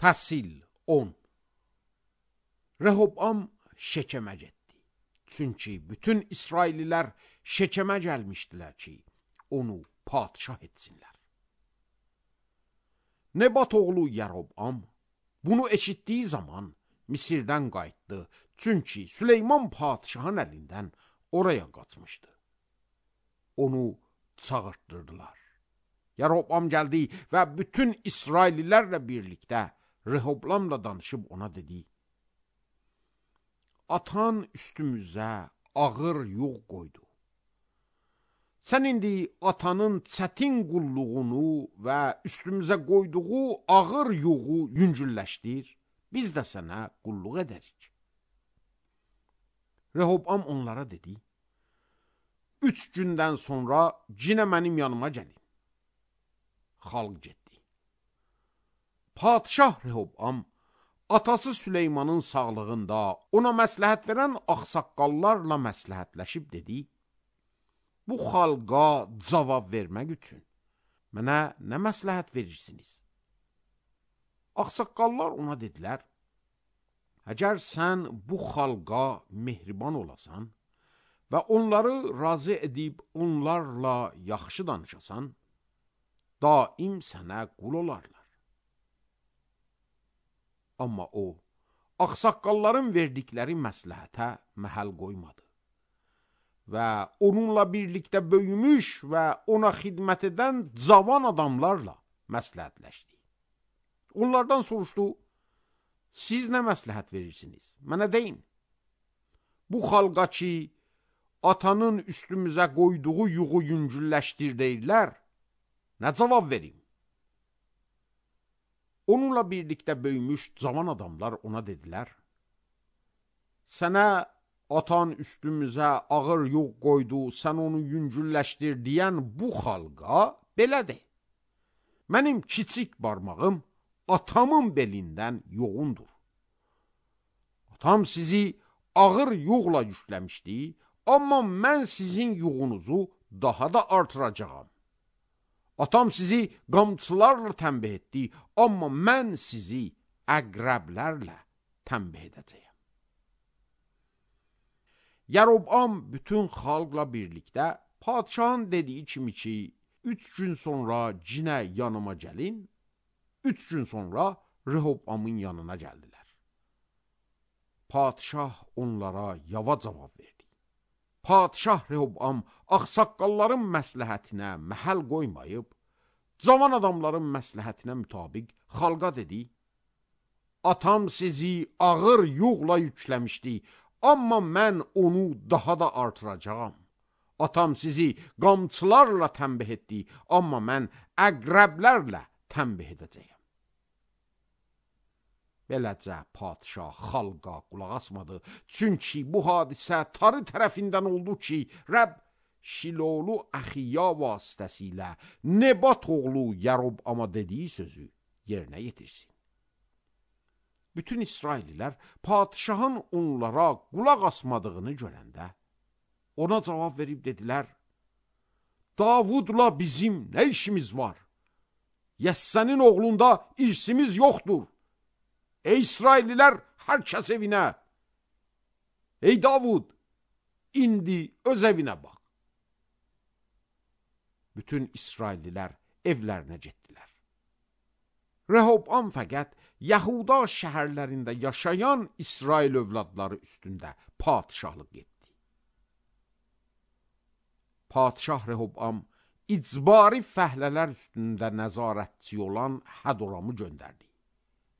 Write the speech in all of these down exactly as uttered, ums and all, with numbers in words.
Fəsil on. Rehobam Şekemə getdi. Çünki bütün İsraillilər Şekemə gəlmişdilər ki, onu padişah etsinlər. Nebat oğlu Yerobam bunu eşitdiyi zaman Misirdən qayıtdı. Çünki Süleyman padişahın əlindən oraya qaçmışdı. Onu çağırtdırdılar. Yerobam gəldi və bütün İsraillilərlə birlikdə Rehobamla danışıb ona dedi: Atan üstümüzə ağır yük qoydu. Sən indi atanın çətin qulluğunu və üstümüzə qoyduğu ağır yuğu yüngülləşdir, biz də sənə qulluq edərik. Rehobam onlara dedi: Üç gündən sonra cinə mənim yanıma gəlin. Xalq getdi. Padişah Rehobam atası Süleymanın sağlığında ona məsləhət verən ağsaqqallarla məsləhətləşib dedi: Bu xalqa cavab vermək üçün mənə nə məsləhət verirsiniz? Ağsaqqallar ona dedilər: Əgər sən bu xalqa mehriban olasan və onları razı edib onlarla yaxşı danışasan, daim sənə qul olarlar. Amma o, ağsaqqalların verdikləri məsləhətə məhəl qoymadı və onunla birlikdə böyümüş və ona xidmət edən cavan adamlarla məsləhətləşdi. Onlardan soruşdu: Siz nə məsləhət verirsiniz? Mənə deyin. Bu xalqa ki, atanın üstümüzə qoyduğu yuğu yüngülləşdir deyirlər, nə cavab verim? Onunla birlikdə böyümüş cavan adamlar ona dedilər: Sənə atan üstümüzə ağır yuğ qoydu, sən onu yüngülləşdir deyən bu xalqa belə de. Mənim kiçik barmağım atamın belindən yoğundur. Atam sizi ağır yuğla yükləmişdi, amma mən sizin yuğunuzu daha da artıracağam. Atam sizi qamçılarla tənbih etdi, amma mən sizi əqrəblərlə tənbih edəcəyəm. Yerobam bütün xalqla birlikdə padişahın dediyi kimi ki, üç gün sonra cinə yanıma gəlin, üç gün sonra Rehobamın yanına gəldilər. Padişah onlara yava cavab verdi. Padişah Rehobam ağsaqqalların məsləhətinə məhəl qoymayıb, cavan adamların məsləhətinə mütabiq xalqa dedi: Atam sizi ağır yuğla yükləmişdi, amma mən onu daha da artıracağam. Atam sizi qamçılarla tənbih etdi, amma mən əqrəblərlə tənbih edəcəyəm. Beləcə padişah xalqa qulaq asmadı. Çünki bu hadisə tarı tərəfindən oldu ki, Rəbb Şilolu Əxiya vasitəsilə Nebat oğlu Yerobama dediyi sözü yerinə yetirsin. Bütün İsraillilər padişahın onlara qulaq asmadığını görəndə ona cavab verib dedilər: Davudla bizim nə işimiz var? Yəssənin oğlunda irsimiz yoxdur. Ey İsraillilər, hər kəs evinə. Ey Davud, indi öz evinə bax. Bütün İsraillilər evlərinə getdilər. Rehobam fəqət Yahuda şəhərlərində yaşayan İsrail övladları üstündə padişahlıq etdi. Padişah Rehobam icbari fəhlələr üstündə nəzarətçi olan Hədoramı göndərdi.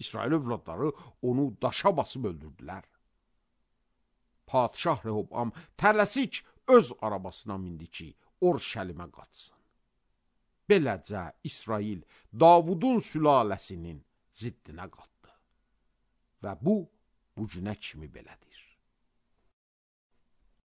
İsrail övladları onu daşa basıb öldürdülər. Padişah Rehobam tələsik öz arabasına mindi ki, Orşəlimə qaçsın. Beləcə İsrail Davudun sülaləsinin ziddinə qatdı. Və bu, bu günə kimi belədir.